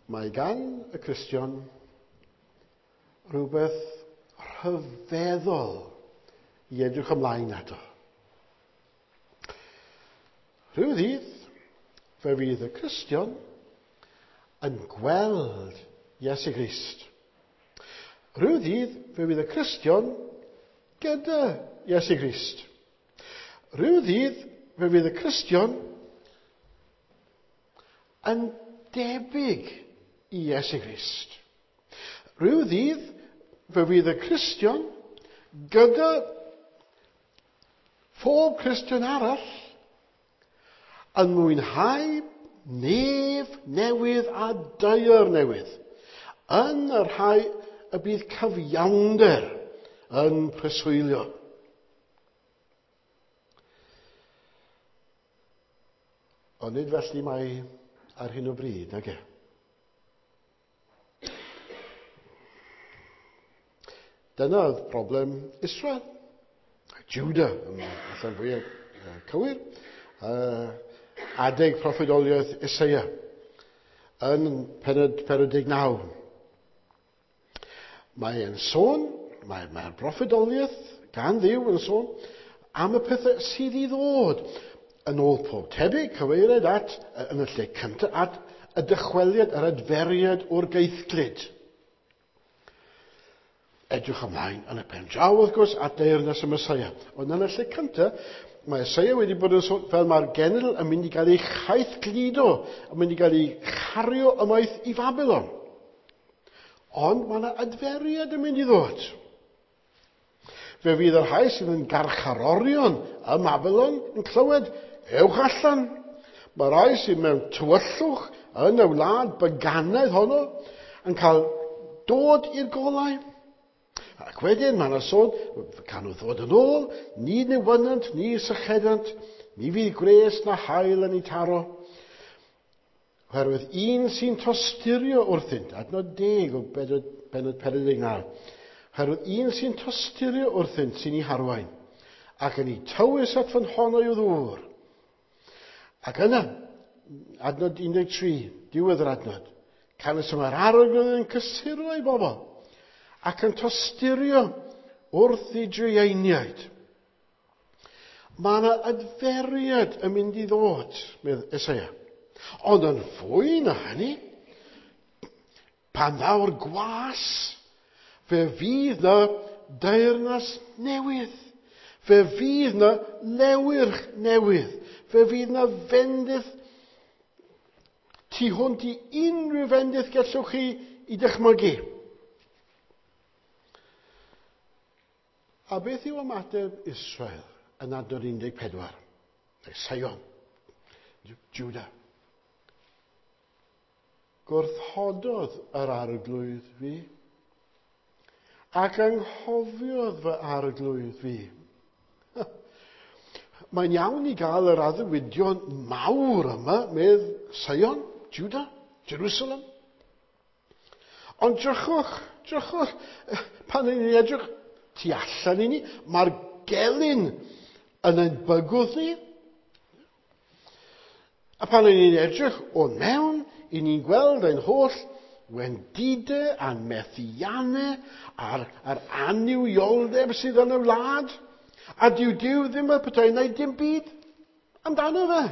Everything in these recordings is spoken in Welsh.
Mae gan y Cristion rhywbeth rhyfeddol i edrych ymlaen ato. Rhyw ddydd, fe fydd y Cristion yn gweld Iesu Grist. Rhyw ddydd, fe fydd y Cristion gyda Iesu Grist. Rhyw ddydd, fe fydd y Cristion yn debyg i Iesu Grist. Rhyw ddydd, fe fydd y Cristion gyda phob Cristion arall yn mwynhau nef newydd a daear newydd, yn y rhai y bydd cyfiawnder yn preswylio. Ond nid felly mae ar hyn o bryd, nage? Dyna oedd problem Israel. Judah, yn allan fwyaf cywir, adeg proffwydoliaeth Eseia yn pennod 49. Mae e'n sôn, mae'r mae broffwydoliaeth gan Dduw yn sôn am y pethau sydd i ddod. Yn ôl pob tebyg, cyfeiriad at, yn y lle cyntaf, at y dychweliad, yr adferiad o'r gaethglud. Edrych ymlaen yn y pen draw, wrth gwrs, at deyrnas y Mesoea. Ond yn y lle cyntaf, mae Eseia wedi bod yn sôn fel mae'r genedl yn mynd i gael ei chaethgludo, yn mynd i gael ei chario ymaith i Babylon. Ond mae yna adferiad yn mynd i ddod. Fe fydd y rhai sydd yn garcharorion ym Babylon yn clywed, ewch allan. Mae rhai sydd mewn tywyllwch yn y wlad byganaidd honno yn cael dod i'r golau. Ac wedyn mae yna sôn, can nhw ddod yn ôl, ni newynant, ni sychedant, ni fydd gwres na haul yn ei taro. Oherwydd un sy'n tosturio wrthynt, adnod 10 o bennod 49, oherwydd un sy'n tosturio wrthynt sy'n ei harwain, ac yn ei tywys at ffynhonnau o ddŵr. Ac yna, adnod 13, diwedd yr adnod, canys y mae'r arglwydd yn cysuro ei bobl, ac yn tosturio wrth ei drueiniaid. Mae yna adferiad yn mynd i ddod, medd Eseia. Ond yn fwy na hynny, pan ddaw'r gwas, fe fydd na deyrnas newydd. Fe fydd na lewyrch newydd. Fe fydd na fendith tu hwnt i unrhyw fendith gallwch chi i dychmygu. A beth yw ymateb Israel yn adnod 14? Neu Sion, Judah. Gwrthododd yr arglwydd fi, ac anghofiodd fy arglwydd fi. Mae'n iawn i gael yr addewidion mawr yma, medd Sion, Judah, Jerusalem. Ond drychwch, drychwch, pan ni'n edrych tu allan i ni, mae'r gelyn yn ein bygwth ni. A pan ni'n edrych o'n mewn, i ni'n gweld ein holl wendidau a'n methiannau a'r, a'r annuwioldeb sydd yn y wlad. A dyw Duw ddim yn petai wneud dim byd amdano fe.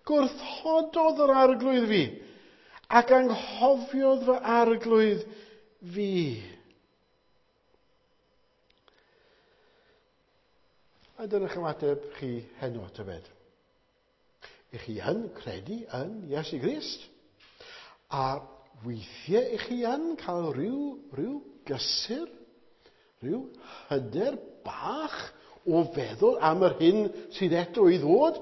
Gwrthododd yr arglwydd fi ac anghofiodd fy arglwydd fi. A dyna'ch ymateb chi heno, tybed. Ych chi yn credu yn Iesu Grist? A weithiau ych chi yn cael rhyw, rhyw gysur, rhyw hyder bach o feddwl am yr hyn sydd eto i ddod?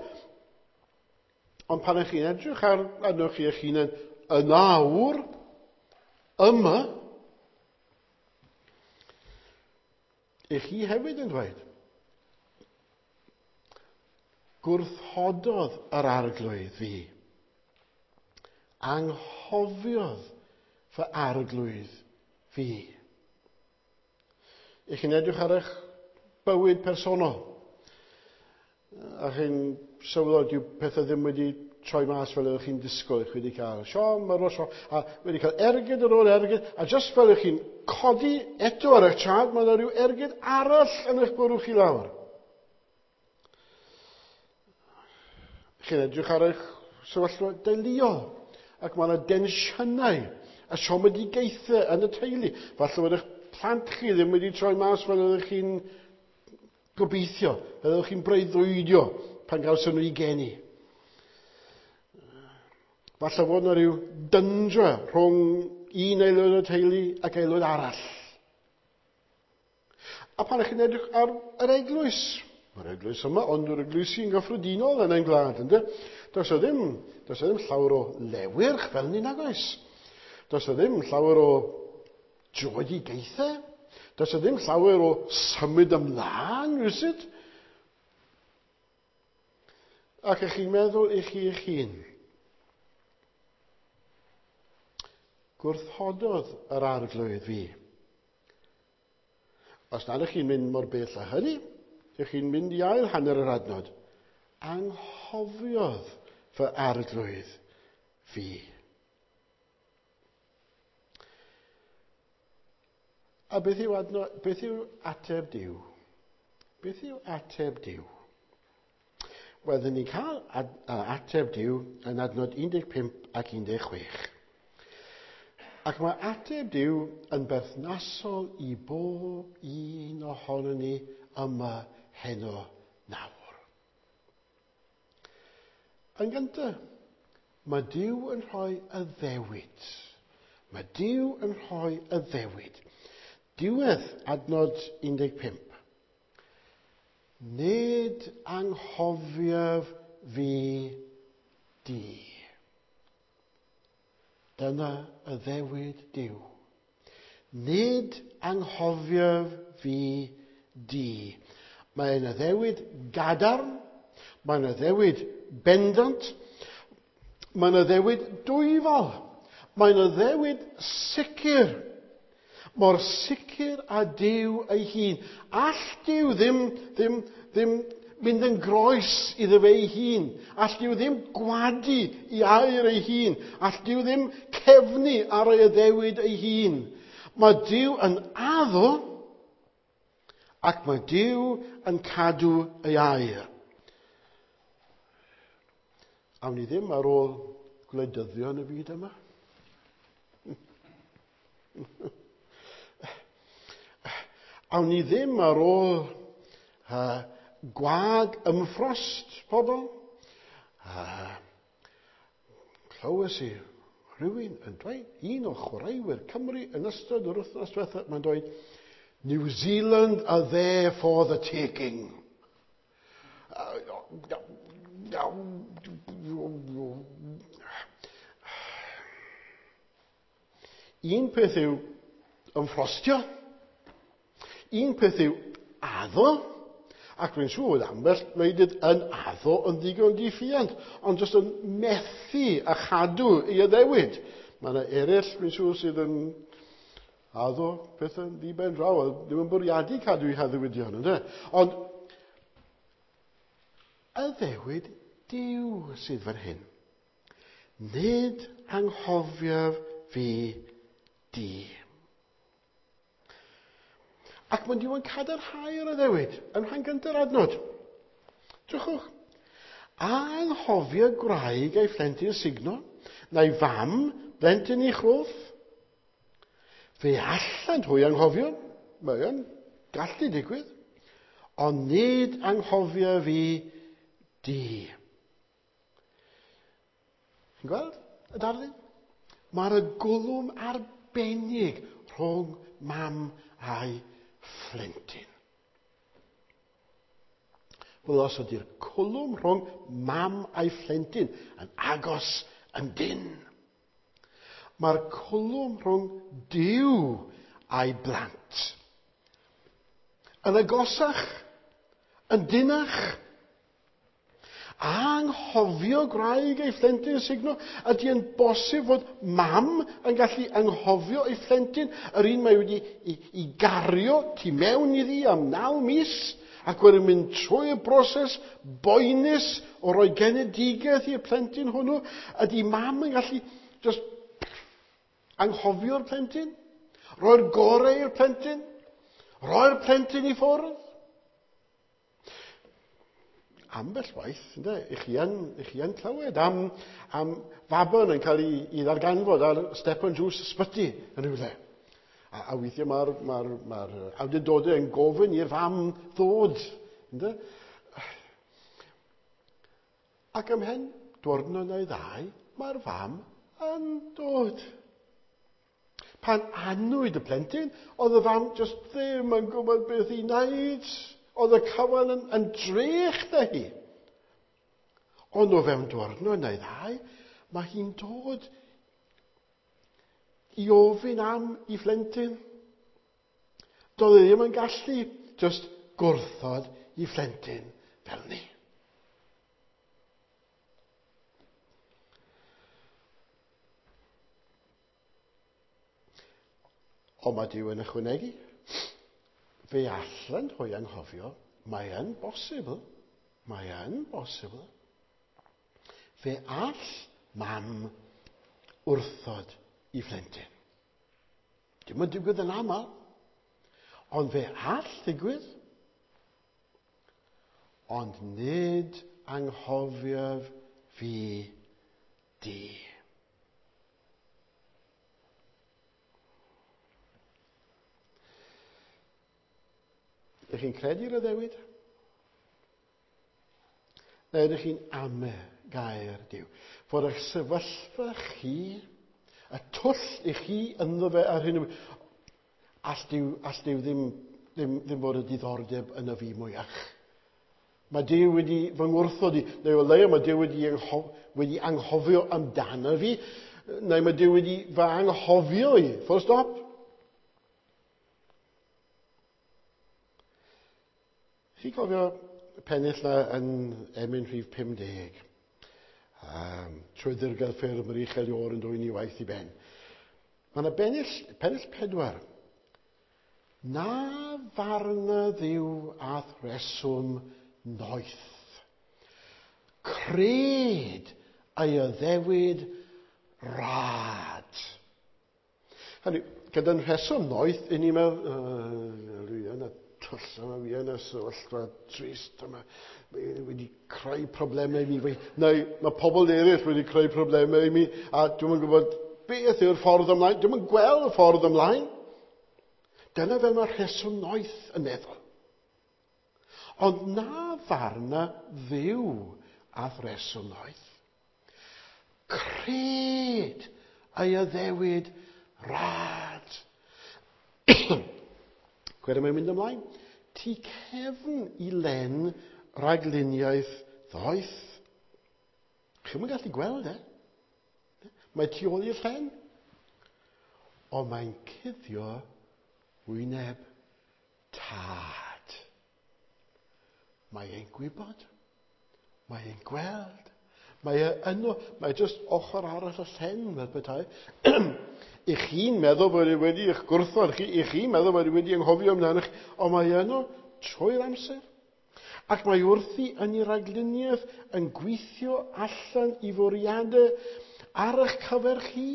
Ond pan ych chi'n edrych ar arnoch chi eich hunain yn awr, yma, ych chi hefyd yn dweud, gwrthododd yr arglwydd fi. Anghofiodd fy arglwydd fi. Ych chi'n edrych ar eich bywyd personol, a chi'n sylweddoli dyw pethau ddim wedi troi mas fel ydych chi'n disgwyl, chi wedi cael siom ar ôl siom, a wedi cael ergyd ar ôl ergyd, a jyst fel ydych chi'n codi eto ar eich traed, mae yna rhyw ergyd arall yn eich bwrw chi lawr. Chi'n edrych ar eich sefyllfa deuluol, ac mae yna densiynau a siomedigaethau yn y teulu. Falle bod eich plant chi ddim wedi troi mas fel ydych chi'n gobeithio, fel ydych chi'n breuddwydio pan gawson nhw i geni. Falle fod yna rhyw dyndra rhwng un aelod o'r teulu ac aelod arall. A pan ych chi'n edrych ar yr eglwys, mae'r eglwys yma, ond yr eglwysi yn gyffredinol yn ein gwlad, ynddo? Does o ddim, does o ddim llawer o lewyrch fel ni nag oes. Does o ddim llawer o dröedigaethau. Does o ddim llawer o symud ymlaen, rywsut. Ac ych chi'n meddwl i chi eich hun, gwrthododd yr arglwydd fi. Os nad ych chi'n mynd mor bell â hynny, ych chi'n mynd i ail hanner yr adnod. Anghofiodd fy arglwydd fi. A beth yw, adno, beth yw ateb Duw? Beth yw ateb Duw? Wel, dyn ni'n cael ateb Duw yn adnod 15 ac 16. Ac mae ateb Duw yn berthnasol i bob un ohonon ni yma heno nawr. Yn gyntaf, mae Duw yn rhoi addewid. Mae Duw yn rhoi addewid. Diwedd adnod 15. Nid anghofiaf fi di. Dyna addewid Duw. Nid anghofiaf fi di. Mae'n addewid gadarn, mae'n addewid bendant, mae'n addewid dwyfol, mae'n addewid sicr. Mor sicr â Duw ei hun. All Duw ddim, ddim, ddim mynd yn groes iddo fe ei hun. All Duw ddim gwadu i air ei hun. All Duw ddim cefnu ar ei addewid ei hun. Mae Duw yn addo ac mae Duw yn cadw ei air. Awn ni ddim ar ôl gwleidyddion y byd yma. Awn ni ddim ar ôl gwag ymffrost pobl. Clywes i rhywun yn dweud, un o chwaraewyr Cymru yn ystod yr wythnos diwethaf, mae'n dweud, New Zealand are there for the taking. Un peth yw ymffrostio, un peth yw addo, ac dwi'n siŵr bod ambell wleidydd yn addo yn ddigon diffuant, ond jyst yn methu a chadw ei addewid. Mae yna eraill, dwi'n siŵr, sydd yn addo pethau'n ddi-ben draw, a ddim yn bwriadu cadw eu haddewidion, ynde? Ond addewid Duw sydd fan hyn. Nid anghofiaf fi di. Ac mae Duw yn cadarnhau'r addewid yn rhan gyntaf adnod. Drychwch. Anghofio gwraig ei phlentyn sugno, na'i fam blentyn ei chroth. Fe allant hwy anghofio, mae o'n gallu digwydd, ond nid anghofio fi di. Chi'n gweld y darlun? Mae'r gwlwm arbennig rhwng mam a'i phlentyn. Wel, os ydy'r cwlwm rhwng mam a'i phlentyn yn agos yn dynn, mae'r cwlwm rhwng Duw a'i blant yn agosach, yn dynnach. Anghofio gwraig ei phlentyn sugno? Ydy yn bosib fod mam yn gallu anghofio ei phlentyn, yr un mae wedi i gario tu mewn iddi am 9 mis, Ac wedyn mynd trwy y broses boenus o roi genedigaeth i'r plentyn hwnnw. Ydy mam yn gallu just anghofio'r plentyn? Roi'r gorau i'r plentyn? Roi'r plentyn i ffwrdd? Ambell waith, ynde, i chi yn, i chi yn clywed am faban yn cael ei ddarganfod ar step on drws ysbyty yn rhywle. A weithiau mae'r ma awdurdodau yn gofyn i'r fam ddod. Ynde? Ac ymhen diwrnod neu ddau, mae'r fam yn dod. Pan anwyd y plentyn, oedd y fam just ddim yn gwybod beth i wneud. Oedd y cyfan yn drech da hi. Ond o fewn diwrnod neu ddau, mae hi'n dod i ofyn am i phlentyn. Doedd e ddim yn gallu just gwrthod i phlentyn fel ni. Ond mae Duw yn ychwanegu. Fe allan hwy anghofio, mae yn bosibl, mae yn bosibl. Fe all mam wrthod i phlentyn. Dim yn digwydd yn aml, ond fe all ddigwydd. Ond nid anghofiaf fi di. Ydych chi'n credu'r addewid? Neu ydych chi'n ame gair Duw? Fod eich sefyllfa chi, y twll i chi ynddo fe ar hyn o bryd, all Duw ddim fod y diddordeb yn y fi mwyach. Mae Duw wedi fy ngwrthod i, neu o leia mae Duw wedi anghofio amdano fi, neu mae Duw wedi fy anghofio i. Full stop. Chi'n cofio pennill na yn emyn rhif 50? Trwy ddirgel ffyrdd mae'r uchel iôr yn dwyn i waith i ben. Mae yna pennill 4. Na farna Dduw a'th reswm noeth. Cred ei addewid rad. Hynny, gyda'n rheswm noeth, i ni'n meddwl, dwi yn y twll yma, fi yn y sefyllfa trist yma, mae wedi creu problemau i mi, neu mae pobl eraill wedi creu problemau i mi, a dwi'm yn gwybod beth yw'r ffordd ymlaen, dwi'm yn gweld y ffordd ymlaen. Dyna fel mae'r rheswm noeth yn meddwl. Ond na farna Dduw a'th reswm noeth. Cred ei addewid rad. Gweda mae'n mynd ymlaen. Tu cefn i len rhagluniaeth ddoeth. Chi'm yn gallu gweld e. Mae tu ôl i'r llen. Ond mae'n cuddio wyneb tad. Mae e'n gwybod. Mae e'n gweld. Mae e yno. Mae jyst ochr arall y llen, fel petai. I chi'n meddwl bod e wedi eich gwrthod chi, i chi'n meddwl bod e wedi anghofio amdano chi, ond mae e yno trwy'r amser. Ac mae wrthi yn ei ragluniaeth yn gweithio allan i fwriadau ar eich cyfer chi,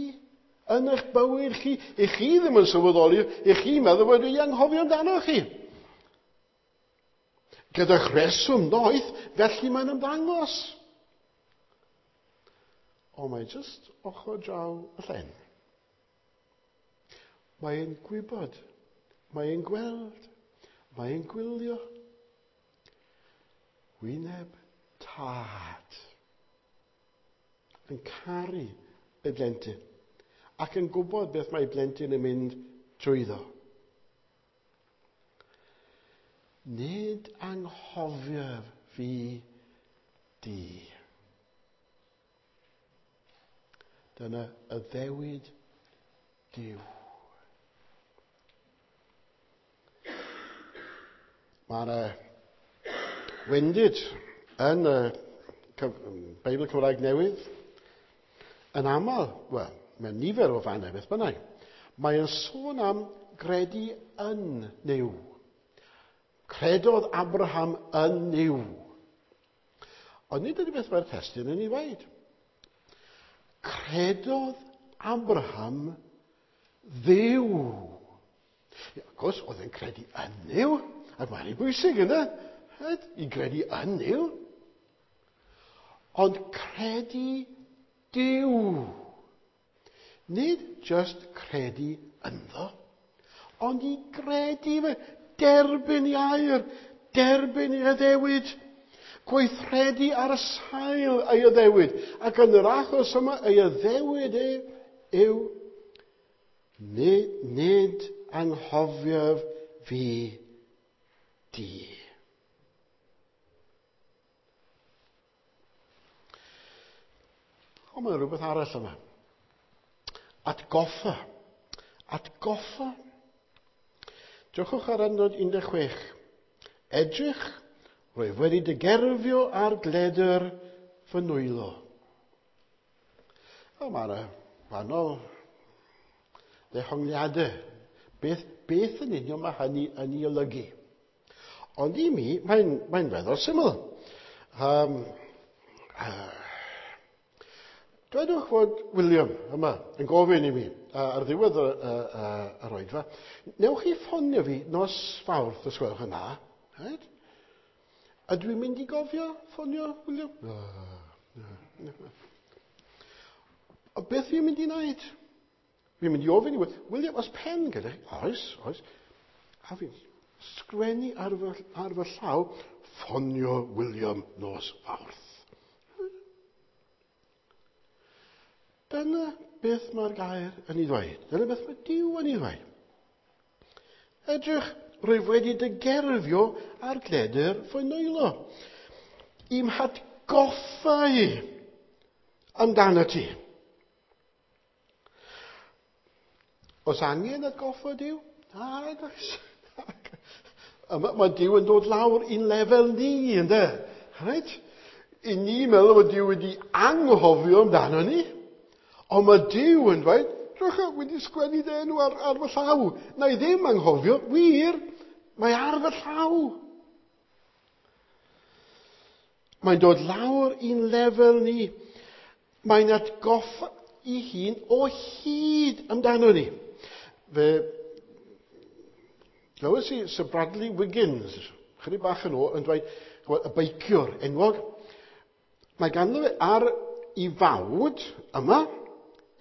yn eich bywyd chi. I chi ddim yn sylweddoli, i chi'n meddwl bod wedi anghofio amdano chi. Gyda'ch rheswm noeth, felly mae'n ymddangos. Ond mae jyst ochr draw y llen. Mae'n gwybod, mae'n gweld, mae'n gwylio. Wyneb tad yn caru ei blentyn ac yn gwybod beth mae blentyn yn mynd trwyddo. Nid anghofiaf fi di. Dyna addewid Duw. Mae yna wendid yn y Beibl Cymraeg Newydd yn aml, wel, mewn nifer o fannau beth bynnag, mae'n sôn am gredu yn Nuw. Credodd Abraham yn Nuw. Ond nid ydy beth mae'r testun yn ei ddweud. Credodd Abraham Dduw. Wrth gwrs, oedd e'n credu yn Nuw, ac mae'n ei bwysig yna, i gredu yn Nuw. Ond credu Duw. Nid just credu ynddo, ond i gredu fe, derbyn i air, derbyn i addewid, gweithredu ar y sail ei addewid. Ac yn yr achos yma, ei addewid e yw nid anghofiaf fi di. Ond mae rhywbeth arall yma. Atgoffa. Atgoffa. Drychwch ar adnod 16. Edrych, rwyf wedi dy gerfio ar gledr fy nwylo. O, mae yna wahanol ddehongliadau. Beth yn union mae hynny yn ei olygu? Ond i mi, mae'n weddol syml. Dwedwch fod William yma yn gofyn i mi ar ddiwedd yr oedfa, newch chi ffonio fi nos Fawrth os gwelwch yn dda? Right? A dwi'n mynd i gofio ffonio William? Na. O beth fi'n mynd i wneud? Fi'n mynd i ofyn i William, oes pen gyda chi? Oes, oes. A fi'n sgrennu ar fy llaw, ffonio William nos Fawrth. Dyna beth mae'r gair yn ei ddweud. Dyna beth mae Duw yn ei ddweud. Edrych, rwyf wedi dy gerfio ar gledr fy nwylo. I'm hatgoffa i amdano ti. Oes angen atgoffa Duw? Nag oes. Mae Duw yn dod lawr i'n lefel ni, ynde? Right? I ni meddwl bod Duw wedi anghofio amdano ni. Ond mae Duw yn dweud, drycha, wedi sgwennu dy enw ar fy llaw. Na i ddim anghofio, wir, mae ar fy llaw. Mae'n dod lawr i'n lefel ni. Mae'n atgoffa i hun o hyd amdano ni. Fe glywes i Sir Bradley Wiggins, chydig bach yn ôl, yn dweud, y beiciwr enwog, mae ganddo fe ar ei fawd yma,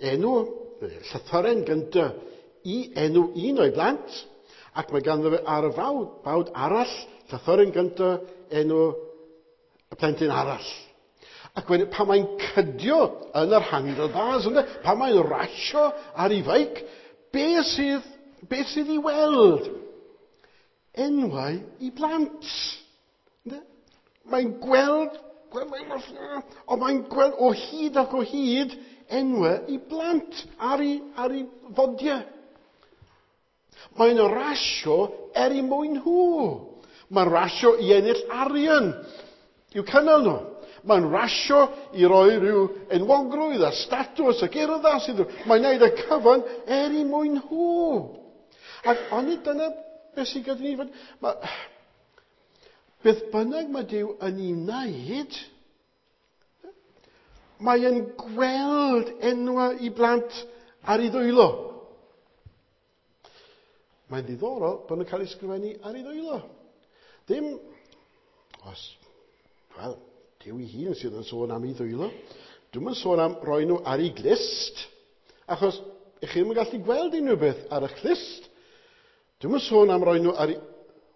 enw, llythyren gyntaf i enw un o'i blant, ac mae ganddo fe ar y fawd arall, llythyren gyntaf enw y plentyn arall. Ac wedyn, pan mae'n cydio yn yr handlebars, ynde, pan mae'n rasio ar ei feic, beth sydd i weld? Enwau i blant. Ynde? Mae'n gweld, ond mae'n gweld o hyd ac o hyd enwau i blant ar ei fodiau. Mae'n rasio er i mwyn nhw. Mae'n rasio i ennill arian i'w cynnal nhw. Mae'n rasio i roi rhyw enwogrwydd a statws ac urddas iddyn nhw. Mae'n gwneud y cyfan er i mwyn nhw. Ac onid dyna beth sydd gyda ni? Beth bynnag mae Duw yn ei wneud, mae e'n gweld enwau i blant ar ei ddwylo. Mae'n ddiddorol bod nhw'n cael ei sgrifennu ar ei ddwylo. Ddim, os, wel, Duw ei hun sydd yn sôn am ei ddwylo. Dwi'm yn sôn am roi nhw ar ei glust, achos ych chi ddim yn gallu gweld unrhyw beth ar eich clust. Dwi'm yn sôn am roi nhw ar ei,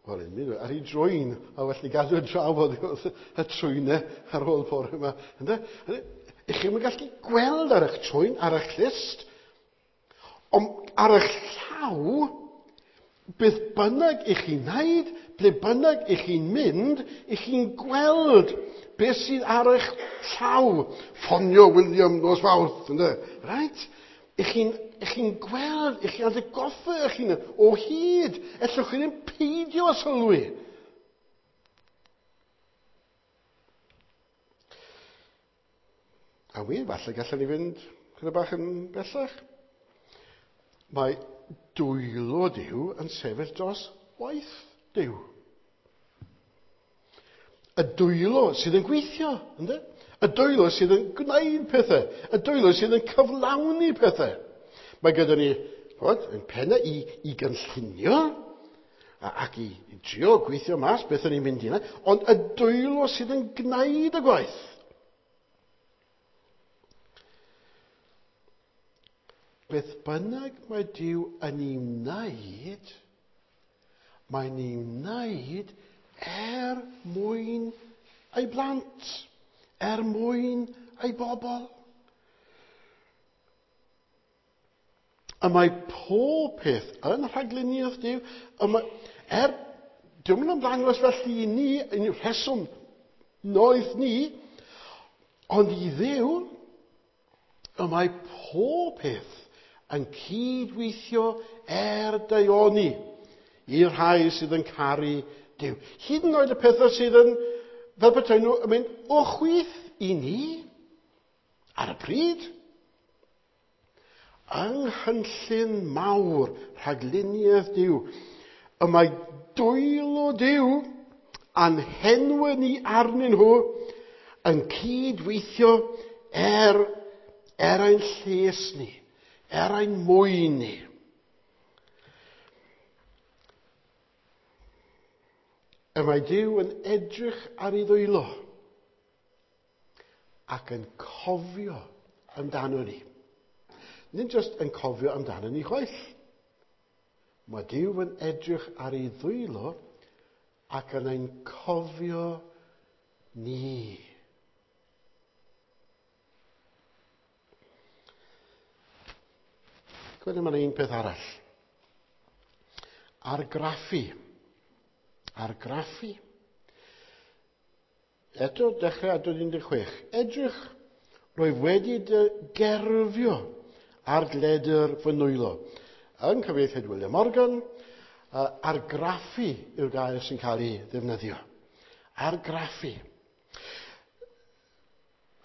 wel, ar ei drwyn, a well ni gadw drafod wrth y trwynau ar ôl bore yma. Ynde? Ych chi ddim yn gallu gweld ar eich trwyn, ar eich clust, ond ar eich llaw, beth bynnag ych chi'n wneud, ble bynnag ych chi'n mynd, ych chi'n gweld beth sydd ar eich llaw. Ffonio William nos Fawrth, ynde? Right? Ych chi'n gweld, ych chi'n atgoffa eich hunan o hyd. Ellwch chi ddim peidio â sylwi. A wir, falle gallwn ni fynd chydig bach yn bellach. Mae dwylo Duw yn sefyll dros waith Duw. Y dwylo sydd yn gweithio, ynddo? Y dwylo sydd yn gwneud pethau. Y dwylo sydd yn cyflawni pethau. Mae gyda ni, ch'mod, ein pennau i gynllunio ac i drio gweithio mas beth o'n i'n mynd i wneud, ond y dwylo sydd yn gwneud y gwaith. Beth bynnag mae Duw yn ei wneud, mae'n ei wneud er mwyn ei blant, er mwyn ei bobl. A mae pob peth yn rhagluniaeth Duw. A mae, dio'm yn ymddangos felly i ni, yn rheswm noeth ni, ond i Dduw, y mae pob peth yn cydweithio er daioni i'r rhai sydd yn caru Duw. Hyd yn oed y pethau sydd yn, fel petai nhw, yn mynd o chwith i ni ar y pryd. Yng nghynllun mawr rhagluniaeth Duw, y mae dwylo Duw a'n henwau ni arnyn nhw yn cydweithio er ein lles ni, er ein mwyn ni. Y mae Duw yn edrych ar ei ddwylo ac yn cofio amdano ni. Nid jyst yn cofio amdano ni chwaith. Mae Duw yn edrych ar ei ddwylo ac yn ein cofio ni. Gwyd, mae'n un peth arall. Argraffu. Argraffu. Eto, dechrau adnod 16. Edrych, rwyf wedi dy gerfio ar gledr fy nwylo. Yng nghyfieithiad William Morgan, argraffu yw'r gair sy'n cael ei ddefnyddio. Argraffu.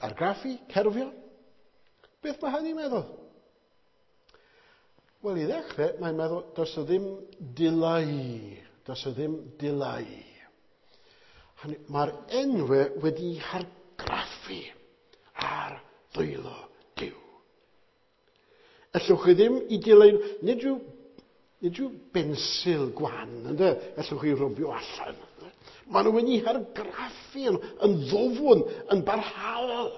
Argraffu, cerfio. Beth mae hynny'n meddwl? Wel, i ddechrau, mae'n meddwl, does o ddim dileu. Does o ddim dileu. Hynny, mae'r enwau wedi hargraffu ar ddwylo Duw. Ellwch chi ddim i dileu, nid yw bensil gwan, ynde? Ellwch chi rwbio allan. Ynde? Maen nhw wedi hargraffu yn ddwfwn, yn barhaol.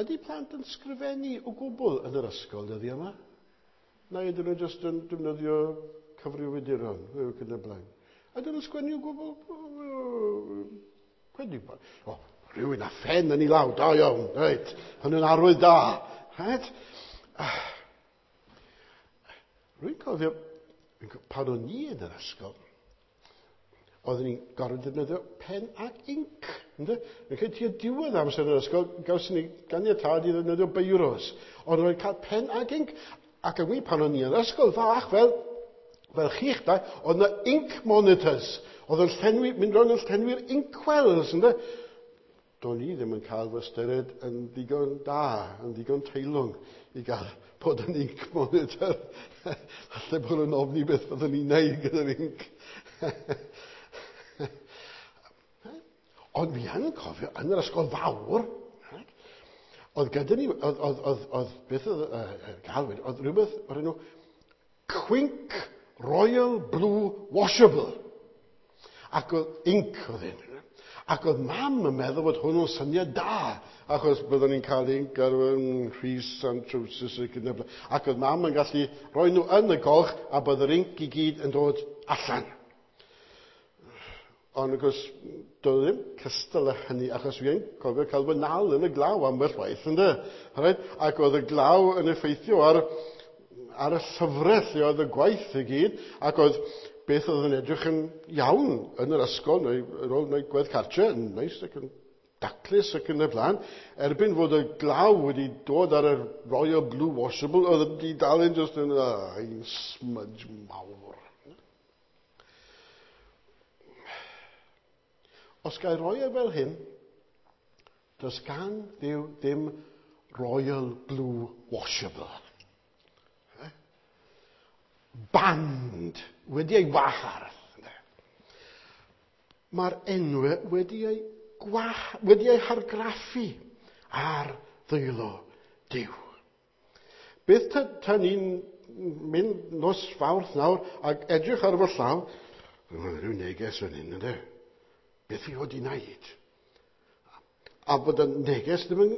Ydy plant yn sgrifennu o gwbl yn yr ysgol dyddiau yma? Neu ydyn nhw jyst yn defnyddio cyfrifiaduron, ac yn y blaen? Ydyn nhw'n sgwennu o gwbl? Credu bod. O, rhywun â phen yn ei law, da iawn, reit. Hwnnw'n arwydd da. Reit? Rwy'n cofio, pan o'n i yn yr ysgol, oeddwn ni'n gorfod defnyddio pen ac inc. Ynde? Rwy'n credu tua diwedd amser yn yr ysgol, gawson ni ganiatâd i ddefnyddio beiros. Ond roedd cael pen ac inc. Ac yn wir, pan o'n i yn yr ysgol fach, fel chi'ch dau, oedd yna ink monitors. Oedd yn llenwi, mynd rownd yn llenwi'r inkwells, ynde? Do'n i ddim yn cael fy ystyried yn ddigon da, yn ddigon teilwng i gael bod yn ink monitor. Falle bod nhw'n ofni beth fyddwn ni'n neud gyda'r ink. Ond fi yn cofio, yn yr ysgol fawr, oedd gyda ni, oedd, oedd, oedd, oedd, beth oedd gael wedi, oedd rhywbeth o'r enw Quink Royal Blue Washable. Ac oedd ink oedd hyn. Ac oedd mam yn meddwl bod hwnnw'n syniad da, achos byddwn ni'n cael ink ar rhys and trowsus ac yn y blaen. Ac oedd mam yn gallu rhoi nhw yn y golch a bydd yr ink i gyd yn dod allan. Ond wrth gwrs, doedd ddim cystal â hynny, achos fi yn cofio cael fy nal yn y glaw ambell waith, ynde? Reit? Ac oedd y glaw yn effeithio ar y llyfrau lle oedd y gwaith i gyd, ac oedd beth oedd yn edrych yn iawn yn yr ysgol, neu ar ôl gwneud gwaith cartre, yn neis ac yn daclus ac yn y blaen, erbyn fod y glaw wedi dod ar y Royal Blue Washable, oedd wedi dal yn just yn un smudge mawr. Os ga i roi e fel hyn, does gan Dduw ddim Royal Blue Washable. Band wedi ei wahardd. Mae'r enwau wedi eu hargraffu ar ddwylo Duw. Beth ta ni'n mynd nos Fawrth nawr ac edrych ar fy llaw, mae rhyw neges fan hyn, ynddo? Beth fi wedi wneud? A bod y neges ddim yn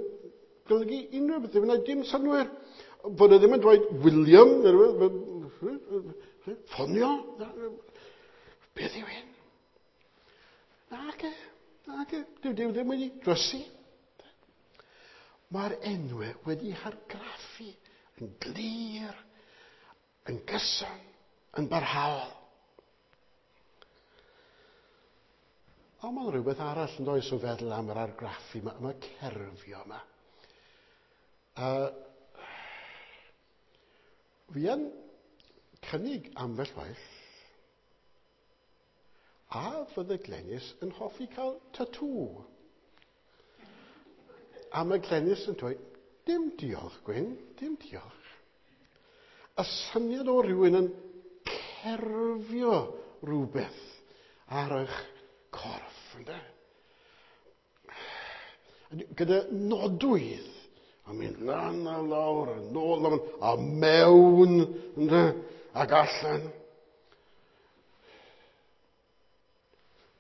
golygu unrhyw beth, ddim yn gwneud dim synnwyr. Bod e ddim yn dweud William, neu rhywbeth, ffonio. Beth yw hyn? Nage, nage, dyw Duw ddim wedi drysu. Mae'r enwau wedi hargraffu yn glir, yn gyson, yn barhaol. Ond mae'n rhywbeth arall yn does o feddwl am yr argraffu, mae cerfio yma. Fi yn cynnig ambell waith, a fydde Glenys yn hoffi cael tatŵ. A mae Glenys yn dweud, dim diolch, Gwyn, dim diolch. Y syniad o rywun yn cerfio rhywbeth ar eich corff, ynde? Gyda nodwydd, a mynd lan a lawr, a nôl a, a mewn, ynde, ac allan.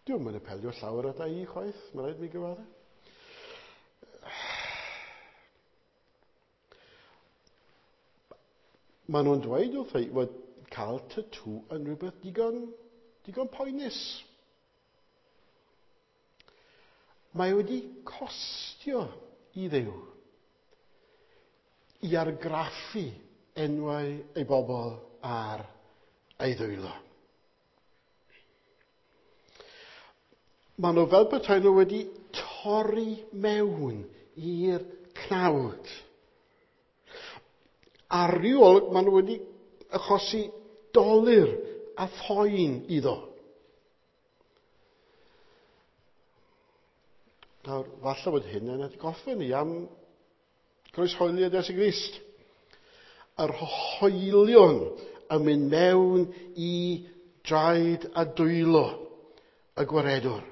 Diw'm yn apelio llawer ata i chwaith, mae rhaid mi gyfadde. Maen nhw'n dweud wrth ei fod cael tatŵ yn rhywbeth digon poenus. Mae wedi costio i Dduw i argraffu enwau ei bobl ar ei ddwylo. Maen nhw fel petai nhw wedi torri mewn i'r cnawd. Ar ryw olwg, maen nhw wedi achosi dolur a phoen iddo. Nawr, falle bod hyn yn atgoffa ni am groeshoeliad Iesu Grist. Yr hoelion yn mynd mewn i draed a dwylo y gwaredwr.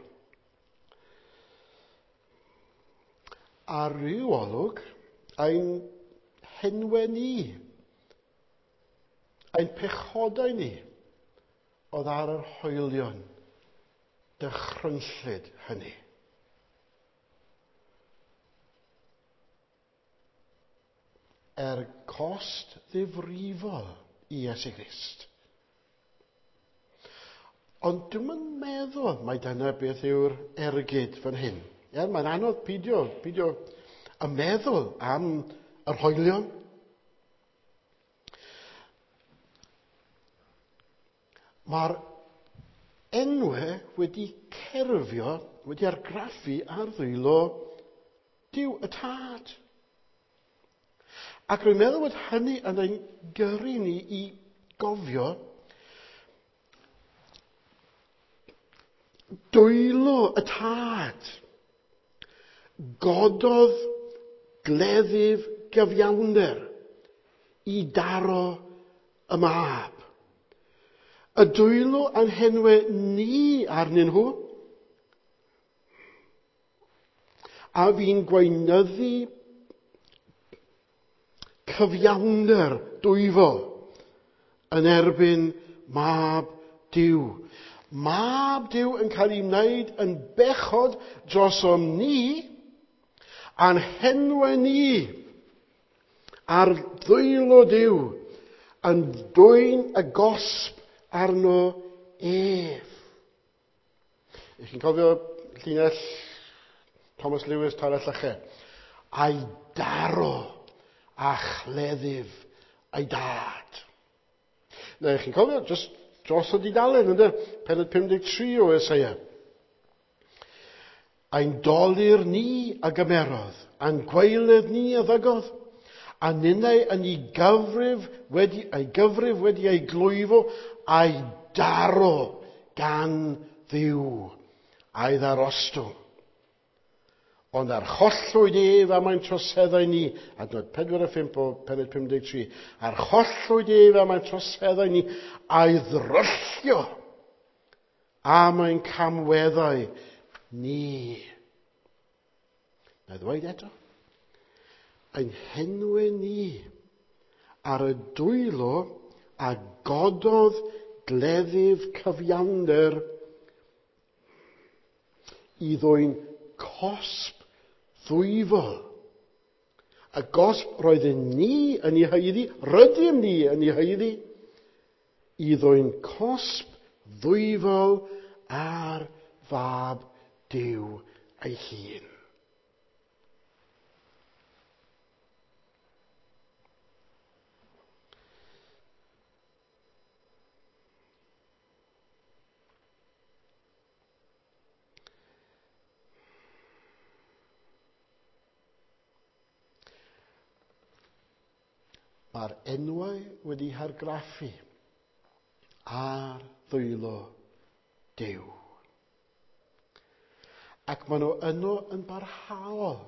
Ar ryw olwg, ein henwe ni, ein pechodau ni, oedd ar yr hoelion dychrynllyd hynny. Er cost ddifrifol i Iesu Grist. Ond dwi'm yn meddwl mai dyna beth yw'r ergyd fan hyn. Ie, mae'n anodd pidio y meddwl am yr hoelion. Mae'r enwau wedi cerfio, wedi argraffu ar ddwylo Duw y Tad. Ac rwy'n meddwl bod hynny yn ein gyrru ni i gofio dwylo y Tad. Gododd gleddyf gyfiawnder i daro y mab. Y dwylo a'n henwe ni arnyn nhw. A fi'n gweinyddu cyfiawnder dwyfol yn erbyn mab Duw. Mab Duw yn cael ei wneud yn bechod drosom ni a'n henwe ni ar ddwylo Duw yn dwyn y gosb arno ef. Ych chi'n cofio llinell Thomas Lewis Tara Llyche? A'i daro a chleddyf ei dad. Neu chi'n cofio, just dros y dudalen, ynddo? Pennod 53 o Eseia. Ein dolur ni a gymerodd, a'n gwaeledd ni a ddygodd, a ninnau yn ei gyfrif wedi, ei gyfrif wedi ei glwyfo, a'i daro gan Dduw, a'i ddarostwng. Ond archollwyd ef am ein troseddau ni, adnod 4 a 5 o pennod 53, archollwyd ef am ein troseddau ni a'i ddryllio am ein camweddau ni. Na ddweud eto, ein henwau ni ar y dwylo a gododd gleddyf cyfiawnder i ddwyn cosb ddwyfol. A gosb roedden ni yn ei haeddu, rydym ni yn ei haeddu, i ddwyn cosb ddwyfol ar fab Duw ei hun. Mae'r enwau wedi hargraffu ar ddwylo Duw. Ac maen nhw yno yn barhaol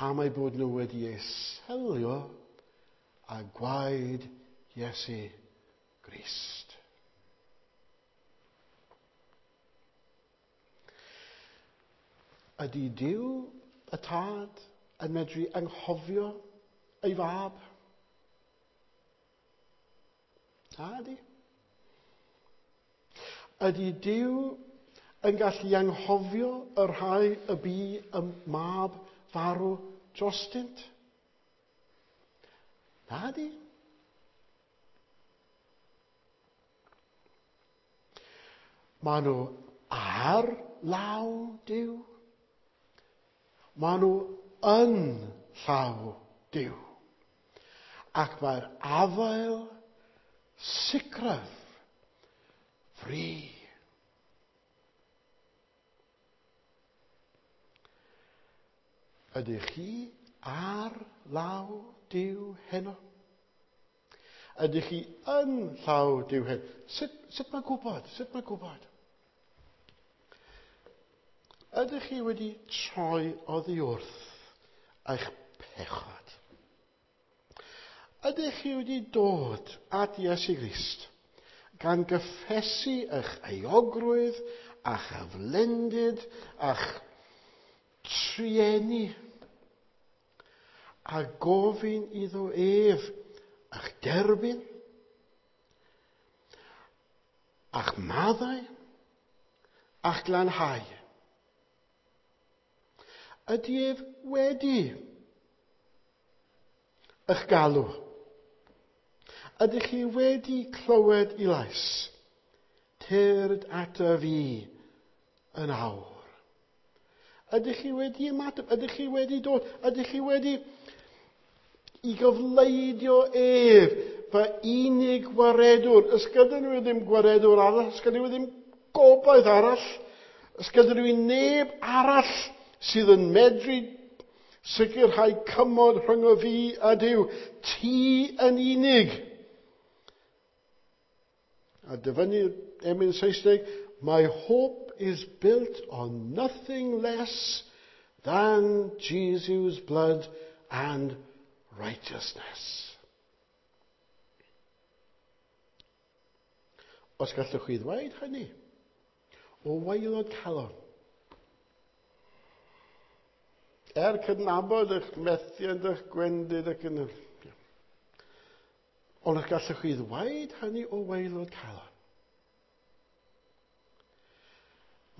am eu bod nhw wedi eu selio â gwaed Iesu Grist. Ydy Duw y Tad yn medru anghofio ei fab? Na, ydy. Ydy Duw yn gallu anghofio y rhai y bu y mab farw drostynt? Na, ydy. Maen nhw ar law Duw. Maen nhw yn llaw Duw. Ac mae'r afael sicraf fri. Ydych chi ar law Duw heno? Ydych chi yn llaw Duw heno? Sut mae gwybod? Sut mae gwybod? Ydych chi wedi troi oddi wrth eich pechod? Ydych chi wedi dod at Iesu Grist gan gyffesu eich euogrwydd a'ch aflendid a'ch trueni a gofyn iddo ef a'ch derbyn a'ch maddau a'ch glanhau? Ydy ef wedi eich galw? Ydych chi wedi clywed i lais? Tyrd ata fi yn awr. Ydych chi wedi ymateb? Ydych chi wedi dod? Ydych chi wedi i gyfleidio ef, fy unig waredwr? Ys gyda nhw ddim gwaredwr arall, ys gyda nhw ddim gobaith arall, ys gyda nhw neb arall sydd yn medru sicrhau cymod rhwng y fi a Duw. Ti yn unig. A dyfynnu emyn Saesneg, my hope is built on nothing less than Jesus' blood and righteousness. Os gallwch chi ddweud hynny, o waelod calon, er cydnabod eich methiant, eich gwendid ac yn... Ond os gallwch chi ddweud hynny o waelod calon,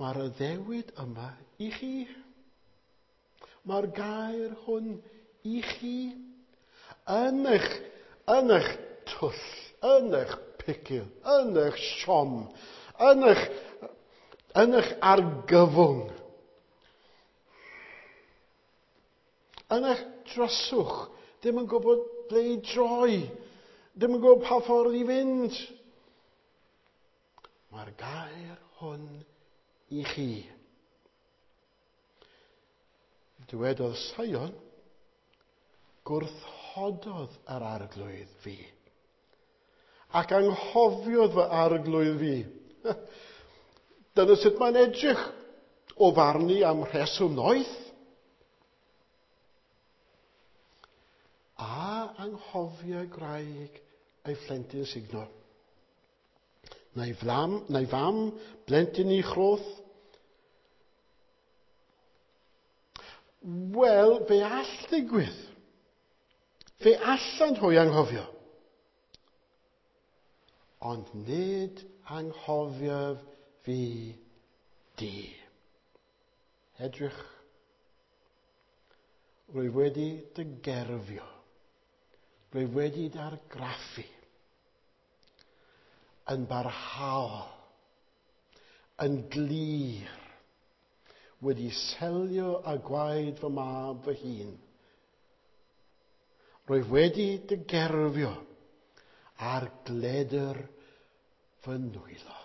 mae'r addewid yma i chi. Mae'r gair hwn i chi. Yn eich twll, yn eich picil, yn eich siom, yn eich argyfwng, yn eich dryswch, ddim yn gwybod ble i droi, ddim yn gwybod pa ffordd i fynd. Mae'r gair hwn i chi. Dywedodd Sion, gwrthododd yr arglwydd fi, ac anghofiodd fy arglwydd fi. Dyna sut mae'n edrych o farnu am rheswm noeth. A anghofia gwraig ei phlentyn sugno. Neu flam, neu fam blentyn i chroth. Wel, fe all ddigwydd. Fe allan hwy anghofio. Ond nid anghofiaf fi di. Edrych. Rwyf wedi dy gerfio. Rwyf wedi dy argraffu. Yn barhaol. Yn glir. Wedi selio â gwaed fy mab fy hun. Rwyf wedi dy gerfio ar gledr fy nwylo.